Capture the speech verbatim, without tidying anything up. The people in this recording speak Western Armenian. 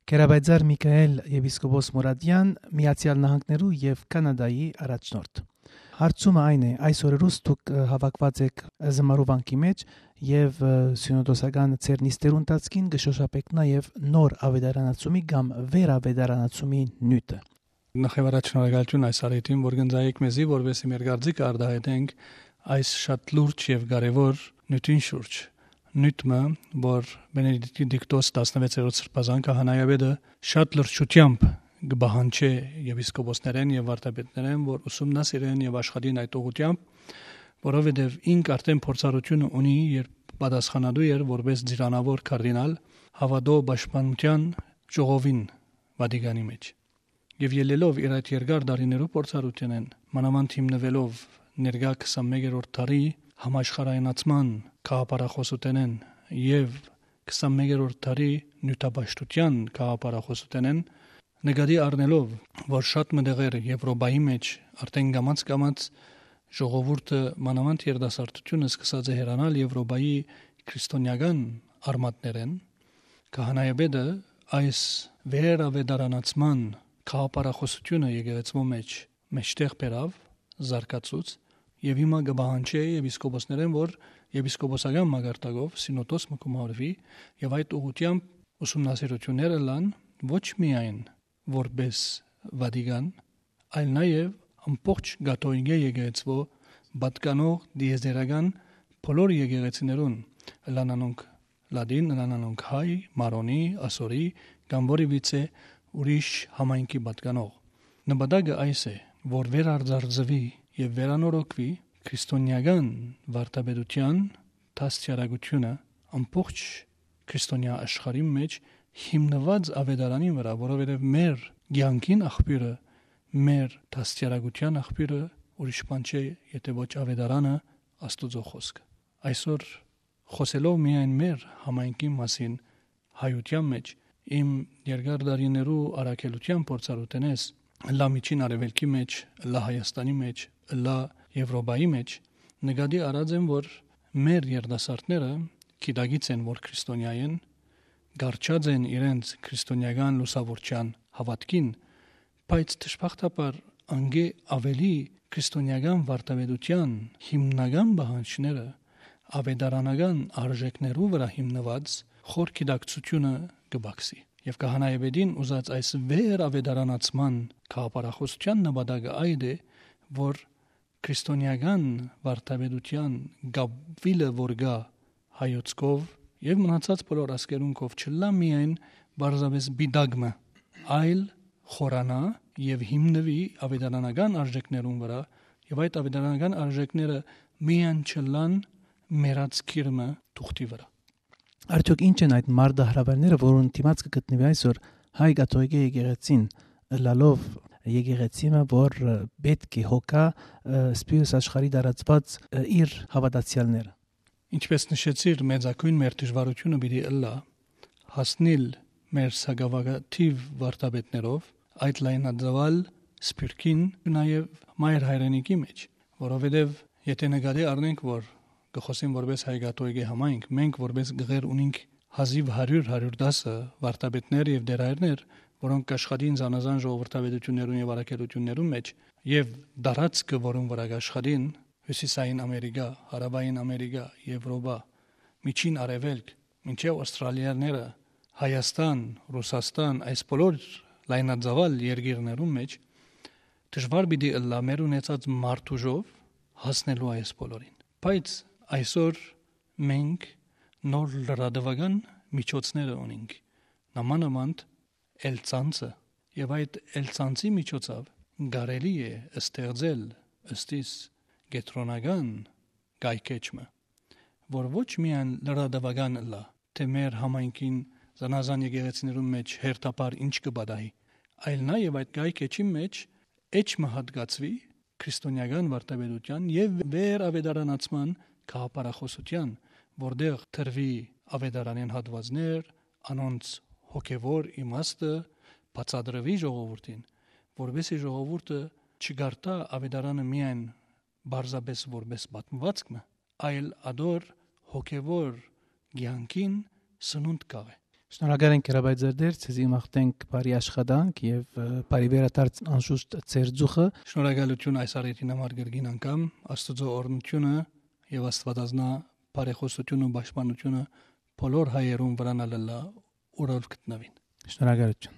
Գերապայծառ Միքայել եպիսկոպոս Մուրադեան, Միացեալ Նահանգներու եւ Կանադայի առաջնորդ։ Հարցումը այն է, այս օրերուս դուք, ը, հաւաքուած էք Զմարու վանքի մէջ եւ, ը, սիւնոդոսական ձեր նիստերու ընթացքին կը շոշափէք նաեւ նոր աւետարանացումի կամ վերաւետարանացումի նիւթը։ Նախ եւ առաջ շնորհակալութիւն այս առիթին, որ կ'ընծայէք մեզի, որպեսզի մեր կարծիքը արտայայտենք այս շատ լուրջ եւ կարեւոր նիւթին շուրջ։ Նիւթ մը, որ Բենեդիկտոս տասնվեցերորդ սրբազան քահանայապետը շատ լրջութեամբ կը պահանջէ եպիսկոպոսներէն եւ վարդապետներէն, որ ուսումնասիրեն եւ աշխատին այդ ուղղութեամբ, որովհետեւ ինք արդէն փորձառութիւնը ունի, երբ պատասխանատու էր որպէս ծիրանաւոր կարդինալ հաւատոյ պաշտպանութեան ժողովին Վատիկանի մէջ։ Եւ ելլելով իր այդ երկար տարիներու փորձառութենէն, մանաւանդ հիմնուելով ներկայ քսանմեկերորդ դարի համաշխարհայնացման գաղափարախօսութենէն եւ քսանմեկերորդ դարի նիւթապաշտութեան գաղափարախօսութենէն, նկատի առնելով, որ շատ մը տեղեր Եւրոպայի մէջ արդէն կամաց-կամաց ժողովուրդը, մանաւանդ երիտասարդութիւնը, սկսած է հեռանալ Եվրոպայի քրիստոնեական արմատներէն, քահանայապետը այս վերաւետարանացման գաղափարախօսութիւնը եկեղեցւոյ մէջ մէջտեղ բերաւ, զարգացուց, եւ հիմա կը պահանջէ եպիսկոպոսներէն, որ եպիսկոպոսական մակարդակով սինոդոս մը կմարուի եւ այդ ուղղութեամբ ուսումնասիրութիւններ ըլլան ոչ միայն որպէս Վատիկան, այլ նաեւ ամբողջ կաթողիկէ եկեղեցւոյ պատկանող տիեզերական բոլոր եկեղեցիներուն, ըլլան անոնք լատին, ըլլան անոնք հայ, մարոնի, ասորի կամ որևիցէ ուրիշ համայնքի պատկանող։ Նպատակը այս է, որ վերարձարծուի եւ վերանորոգուի քրիստոնեական վարդապետութեան դաստիարակութիւնը ամբողջ քրիստոնեայ աշխարհին մէջ հիմնուած աւետարանին վրայ, որովհետեւ մեր կեանքին աղբիւրը, մեր դաստիարակութեան աղբիւրը ուրիշ բան չէ, եթէ ոչ աւետարանը, Աստուծոյ խօսքը։ Այսօր, խօսելով միայն մեր համայնքին մասին հայութեան մէջ, իմ երկար տարիներու առաքելութեան փորձառութենէս, ըլլայ Միջին Արեւելքի մէջ, ըլլայ Հայաստանի մէջ, ըլլայ Եվրոպայի մէջ, նկատի առած եմ, որ մեր երիտասարդները գիտակից են, որ քրիստոնեայ են, կառչած են իրենց քրիստոնեական լուսաւորչեան հաւատքին, բայց դժբախտաբար անկէ աւելի քրիստոնեական վարդապետութեան հիմնական պահանջները աւետարանական արժեքներու վրայ հիմնուած խոր գիտակցութիւնը կը պակսի։ Եւ քահանայապետին ուզած այս վերաւետարանացման գաղափարախօսութեան նպատակը այդ է, որ քրիստոնեական վարդապետութեան կապուիլը, որ կայ հայոց քով եւ մնացած բոլոր ազգերուն քով, չըլլայ միայն պարզապէս պիտակ մը, այլ խորանայ եւ հիմնուի աւետարանական արժեքներուն վրայ, եւ այդ աւետարանական արժեքները միայն չըլլան մեռած կիր մը թուղթի վրայ։ Արդյոք ի՞նչ են այդ մարտահրաւէրները, որուն դիմաց կը գտնուի այսօր հայ կաթողիկէ եկեղեցին, ըլլալով եկեղեցի մը, որ, ը, պէտք է հոգայ, ը, սփիւռս աշխարհի տարածուած, ը, իր հաւատացեալները։ Ինչպէս նշեցիր, մեծագոյն մեր դժուարութիւնը պիտի ըլլայ հասնիլ մեր սակաւակատիւ վարդապետներով այդ լայնածաւալ սփիւռքին, նաեւ մայր հայրենիքի մէջ, որովհետեւ եթէ նկատի առնենք, որ կը խօսին որպէս հայ կաթողիկէ համայնք, մենք որպէս գղեր ունինք հազիւ հարիւր, հարիւր տասը վարդապետներ եւ դերայրներ, որոնք կաշխատին զանազան ժողովրդավարութիւններուն եւ առաքելութիւններուն մէջ եւ տարածքը, որուն վրայ կաշխատին, Հիւսիսային Ամերիկա, Հարաւային Ամերիկա, Եվրոպա, Միջին Արեւելք, մինչեւ Ավստրալիաները, Հայաստան, Ռուսաստան, այս բոլոր լայնածաւալ երկիրներուն մէջ դժուար պիտի ըլլայ մեր ունեցած մարդուժով հասնելու այս բոլորին։ Բայց այսօր մենք նոր լրատուական միջոցները ունինք, նամանամանդ Էլցանցը, եւ այդ Էլցանցի միջոցով կարելի է ստեղծել ըստ իս կեդրոնական կայքէջ մը, որ ոչ միայն լրատուական ըլլայ, թէ մեր համայնքին զանազան եկեղեցիներուն մէջ հերթապար ինչ կը պատահի, այլ նաեւ այդ կայքէջին մէջ էջ մը հատկացուի քրիստոնեական վարդապետութեան եւ վերաւետարանացման գաղափարախօսութեան, որտեղ տրուի աւետարանէն հատուածներ, անոնց հոգեվոր իմաստը բացատրուի ժողովուրդին, որպեսզի ժողովուրդը չկարդա աւետարանը միայն պարզապէս որպէս պատմուածք մը, այլ ատոր հոգեվոր կեանքին սնունդ կաղէ։ Շնորհակալ ենք, Հրաբայ Ձերդեր, ձեզի մաղթենք բարի աշխատանք եւ, ը, բարի վերադարձ անշուշտ ձեր ծուխը։ Շնորհակալություն այս առիթին համար կրկին անգամ։ Աստուծոյ օրհնությունը եւ Աստուածազնայ բարեխօսութիւնը ու պաշտպանութիւնը բոլոր հայերուն վրան ալ ըլլայ, ուր որ գտնուին։ Շնորհակալություն։